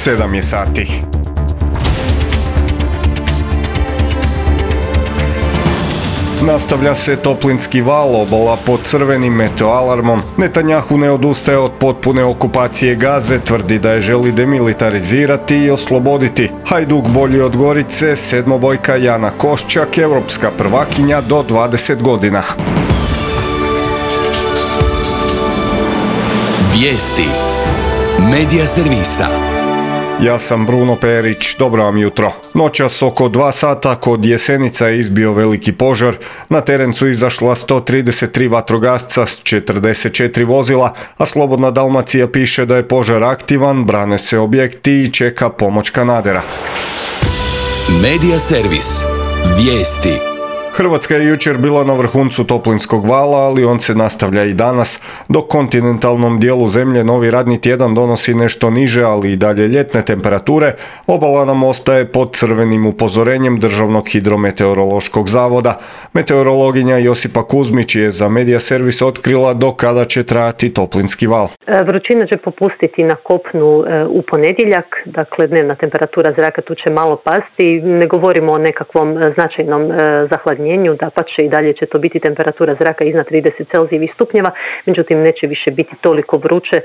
7 je sati. Nastavlja se toplinski val, obala pod crvenim meteoalarmom. Netanjahu ne odustaje od potpune okupacije Gaze, tvrdi da je želi demilitarizirati i osloboditi. Hajduk bolji od Gorice, sedmobojka Jana Koščak, europska prvakinja do 20 godina. Vijesti Medija servisa. Ja sam Bruno Perić, dobro vam jutro. Noćas oko 2 sata kod Jesenica je izbio veliki požar. Na teren su izašla 133 vatrogasca s 44 vozila, a Slobodna Dalmacija piše da je požar aktivan, brane se objekti i čeka pomoć kanadera. Medija servis. Vijesti. Hrvatska je jučer bila na vrhuncu toplinskog vala, ali on se nastavlja i danas. Dok kontinentalnom dijelu zemlje novi radni tjedan donosi nešto niže, ali i dalje ljetne temperature, obala nam ostaje pod crvenim upozorenjem Državnog hidrometeorološkog zavoda. Meteorologinja Josipa Kuzmić je za Medija servis otkrila do kada će trajati toplinski val. Vrućina će popustiti na kopnu u ponedjeljak, dakle dnevna temperatura zraka tu će malo pasti. Ne govorimo o nekakvom značajnom zahladnjenju, dapače i dalje će to biti temperatura zraka iznad 30 Celzijevih stupnjeva, međutim neće više biti toliko vruće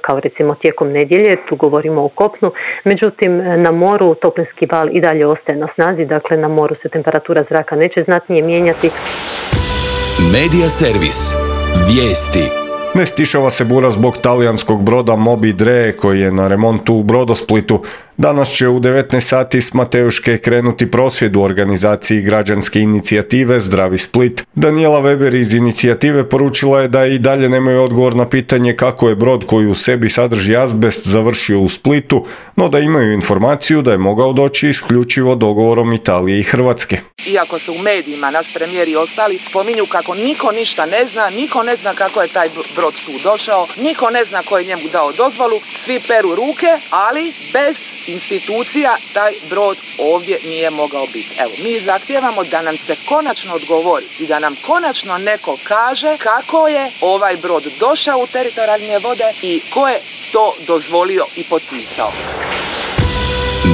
kao recimo tijekom nedjelje, tu govorimo o kopnu. Međutim na moru toplinski val i dalje ostaje na snazi, dakle na moru se temperatura zraka neće znatnije mijenjati. Medija servis. Vijesti. Ne stišava se bura zbog talijanskog broda Moby Dre koji je na remontu u Brodosplitu. Danas će u 19 sati s Mateuške krenuti prosvjed u organizaciji građanske inicijative Zdravi Split. Daniela Weber iz inicijative poručila je da i dalje nemaju odgovor na pitanje kako je brod koji u sebi sadrži azbest završio u Splitu, no da imaju informaciju da je mogao doći isključivo dogovorom Italije i Hrvatske. Iako se u medijima naš premijer i ostali spominju kako niko ništa ne zna, niko ne zna kako je taj brod tu došao, niko ne zna ko je njemu dao dozvolu, svi peru ruke, ali bez institucija taj brod ovdje nije mogao biti. Evo, mi zahtijevamo da nam se konačno odgovori i da nam konačno neko kaže kako je ovaj brod došao u teritorijalne vode i ko je to dozvolio i potpisao.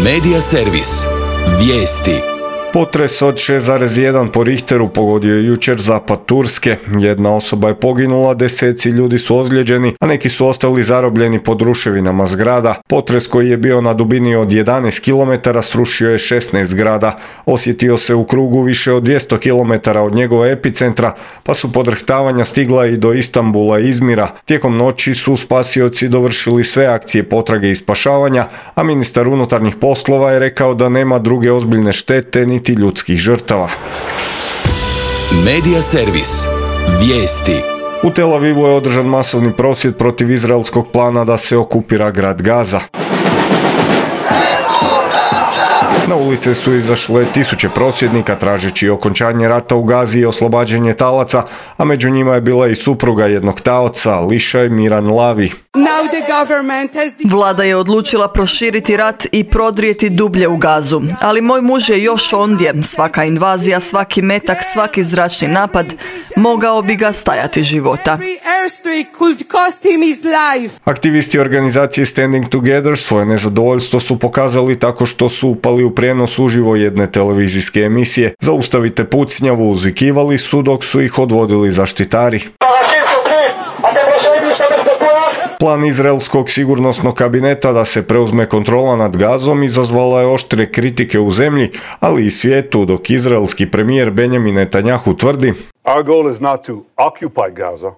Medija servis. Vijesti. Potres od 6,1 po Richteru pogodio je jučer zapad Turske. Jedna osoba je poginula, deseci ljudi su ozlijeđeni, a neki su ostali zarobljeni pod ruševinama zgrada. Potres koji je bio na dubini od 11 km srušio je 16 zgrada. Osjetio se u krugu više od 200 km od njegova epicentra, pa su podrhtavanja stigla i do Istanbula i Izmira. Tijekom noći su spasioci dovršili sve akcije potrage i spašavanja, a ministar unutarnjih poslova je rekao da nema druge ozbiljne štete niti ljudskih žrtava. Medija servis. Vijesti. U Tel Avivu je održan masovni prosvjed protiv izraelskog plana da se okupira grad Gaza. Na ulice su izašle tisuće prosvjednika tražeći okončanje rata u Gazi i oslobađanje talaca, a među njima je bila i supruga jednog taoca, Lišaj Miran Lavi. Vlada je odlučila proširiti rat i prodrijeti dublje u Gazu, ali moj muž je još ondje. Svaka invazija, svaki metak, svaki zračni napad mogao bi ga stajati života. Aktivisti organizacije Standing Together svoje nezadovoljstvo su pokazali tako što su upali u prijenos uživo jedne televizijske emisije. Zaustavite pucnjavu, uzvikivali su dok su ih odvodili zaštitari. Plan izraelskog sigurnosnog kabineta da se preuzme kontrola nad Gazom izazvala je oštre kritike u zemlji, ali i svijetu, dok izraelski premijer Benjamin Netanjahu tvrdi: Our goal is not to occupy Gaza.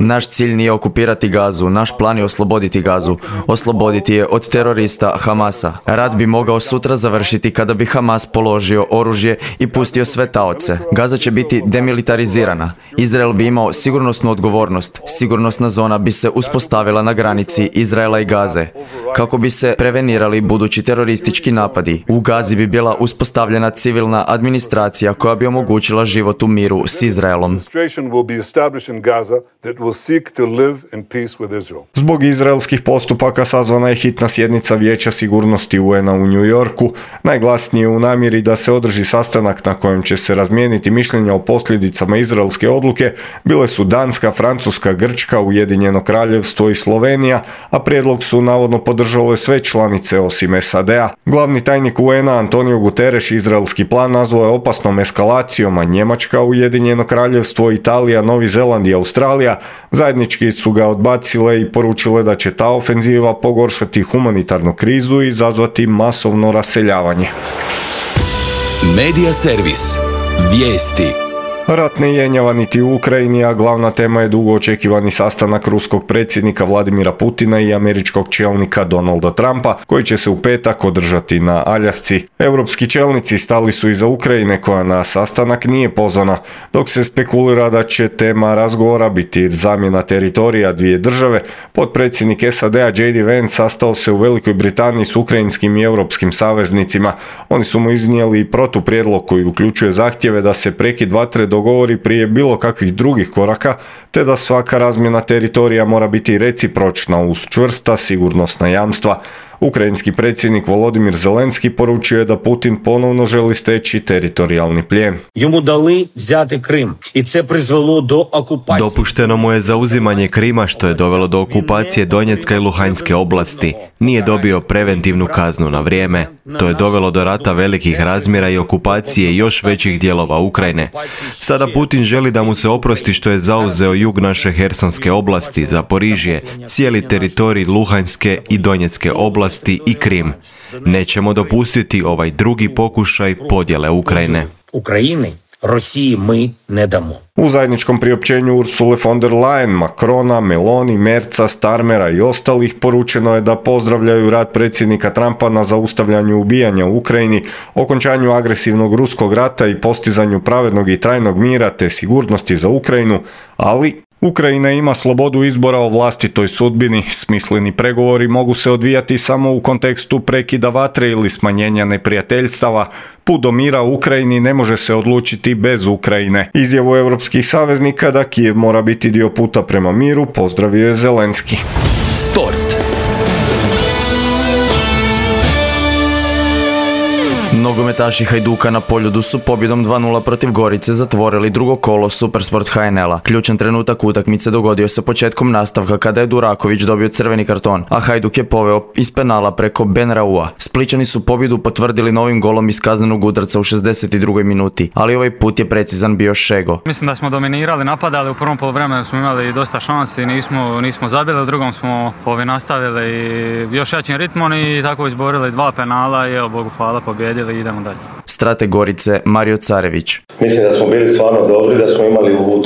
Naš cilj nije okupirati Gazu, naš plan je osloboditi Gazu. Osloboditi je od terorista Hamasa. Rat bi mogao sutra završiti kada bi Hamas položio oružje i pustio sve taoce. Gaza će biti demilitarizirana. Izrael bi imao sigurnosnu odgovornost. Sigurnosna zona bi se uspostavila na granici Izraela i Gaze, kako bi se prevenirali budući teroristički napadi. U Gazi bi bila uspostavljena civilna administracija koja bi omogućila život u miru s Izraelom. that will seek to live in peace with Israel. Zbog izraelskih postupaka sazvana je hitna sjednica Vijeća sigurnosti UN-a u New Yorku, najglasnije u namjeri da se održi sastanak na kojem će se razmijeniti mišljenja o posljedicama izraelske odluke. Bile su Danska, Francuska, Grčka, Ujedinjeno Kraljevstvo i Slovenija, a prijedlog su navodno podržale sve članice osim SAD-a. Glavni tajnik UN-a Antonio Guterres izraelski plan nazvao je opasnom eskalacijom, a Njemačka, Ujedinjeno Kraljevstvo, Italija, Novi Zeland i Australija zajednički su ga odbacile i poručile da će ta ofenziva pogoršati humanitarnu krizu i izazvati masovno raseljavanje. Medija servis. Vijesti. Rat ne jenjava niti u Ukrajini, a glavna tema je dugo očekivani sastanak ruskog predsjednika Vladimira Putina i američkog čelnika Donalda Trumpa, koji će se u petak održati na Aljasci. Europski čelnici stali su iza Ukrajine, koja na sastanak nije pozvana, dok se spekulira da će tema razgovora biti zamjena teritorija dvije države. Potpredsjednik SAD-a J.D. Vance sastao se u Velikoj Britaniji s ukrajinskim i europskim saveznicima. Oni su mu iznijeli protuprijedlog koji uključuje zahtjeve da se prekid vatre dogovori prije bilo kakvih drugih koraka, te da svaka razmjena teritorija mora biti recipročna uz čvrsta sigurnosna jamstva. Ukrajinski predsjednik Volodimir Zelenski poručio je da Putin ponovno želi steći teritorijalni plijen. Йому дали взяти Крим, і це призвело до окупації. Dopušteno mu je zauzimanje Krima, što je dovelo do okupacije Donjecka i Luhanjske oblasti. Nije dobio preventivnu kaznu na vrijeme. To je dovelo do rata velikih razmjera i okupacije još većih dijelova Ukrajine. Sada Putin želi da mu se oprosti što je zauzeo jug naše Hersonske oblasti, Zaporižje, cijeli teritorij Luhanjske i Donjecke oblasti i Krim. Nećemo dopustiti ovaj drugi pokušaj podjele Ukrajine. України, Росії ми не дамо. U zajedničkom priopćenju Ursule von der Leyen, Macrona, Meloni, Merza, Starmera i ostalih poručeno je da pozdravljaju rad predsjednika Trumpa na zaustavljanju ubijanja u Ukrajini, okončanju agresivnog ruskog rata i postizanju pravednog i trajnog mira te sigurnosti za Ukrajinu, ali Ukrajina ima slobodu izbora o vlastitoj sudbini. Smisleni pregovori mogu se odvijati samo u kontekstu prekida vatre ili smanjenja neprijateljstava. Put do mira u Ukrajini ne može se odlučiti bez Ukrajine. Izjavu europskih saveznika da Kijev mora biti dio puta prema miru pozdravio je Zelenski. Sport. Nogometaši Hajduka na Poljudu su pobjedom 2:0 protiv Gorice zatvorili drugo kolo Supersport HNL-a. Ključan trenutak utakmice dogodio se početkom nastavka kada je Duraković dobio crveni karton, a Hajduk je poveo iz penala preko Ben Raua. Splićani su pobjedu potvrdili novim golom iz kaznenog udarca u 62. minuti, ali ovaj put je precizan bio Šego. Mislim da smo dominirali, napadali, u prvom poluvremenu smo imali dosta šansi, nismo zabili, u drugom smo nastavili još jačim ritmom i tako izborili 2 penala i evo Bogu hvala pobjedili i idemo dalje. Strateg Gorice Mario Carević. Mislim da smo bili stvarno dobri, da smo imali u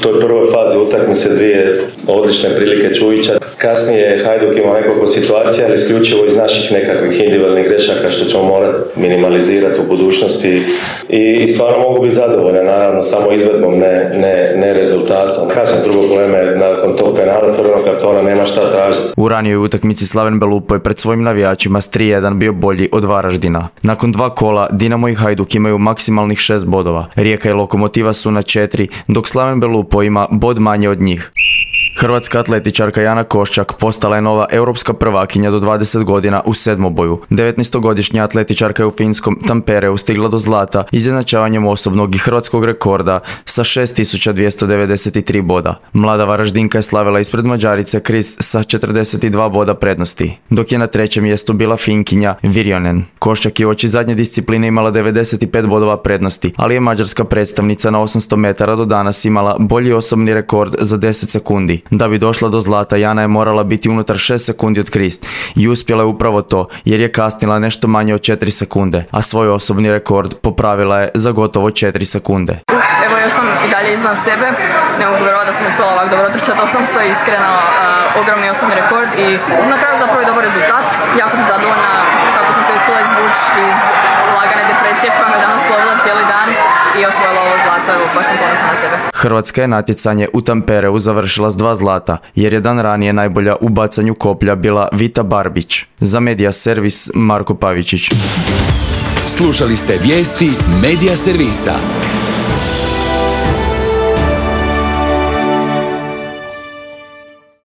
toj prvoj fazi utakmice 2 odlične prilike Čujića. Kasnije Hajduk imao nekoliko situacija, ali isključivo iz naših nekakvih individualnih grešaka što ćemo morati minimalizirati u budućnosti i stvarno mogu biti zadovoljne, naravno samo izvedbom, ne rezultatom. Kažem, drugo probleme, nakon tog penala crvenog kartona nema šta tražiti. U ranijoj utakmici Slaven Belupo je pred svojim navijačima s 3:1 bio bolji od Varaždina. Nakon 2 kola Dinamo i Hajduk imaju maksimalnih 6 bodova. Rijeka i Lokomotiva su na 4, dok Slaven Belupo ima bod manje od njih. Hrvatska atletičarka Jana Koščak postala je nova europska prvakinja do 20 godina u sedmoboju. 19-godišnja atletičarka je u finskom Tampereu stigla do zlata izjednačavanjem osobnog i hrvatskog rekorda sa 6293 boda. Mlada Varaždinka je slavila ispred Mađarice Krist sa 42 boda prednosti, dok je na 3. mjestu bila Finkinja Virjonen. Koščak je uoči zadnje discipline imala 95 bodova prednosti, ali je mađarska predstavnica na 800 metara do danas imala bolji osobni rekord za 10 sekundi. Da bi došla do zlata, Jana je morala biti unutar 6 sekundi od Krist i uspjela je upravo to, jer je kasnila nešto manje od 4 sekunde, a svoj osobni rekord popravila je za gotovo 4 sekunde. Evo, još sam i dalje izvan sebe, ne mogu vjerovati da sam uspjela ovako dobro trčati 800, iskreno ogromni osobni rekord i na kraju zapravo je dobar rezultat. Jako sam zadovoljna kako sam se uspjela izvući iz lagane depresije koja me danas slovila cijeli dan i osvojila ovo zlato, evo baš sam ponosna na sebe. Hrvatska je natjecanje u Tampereu završila s 2 zlata, jer je dan ranije najbolja u bacanju koplja bila Vita Barbić. Za Medija servis Marko Pavičić. Slušali ste vijesti Medija servisa.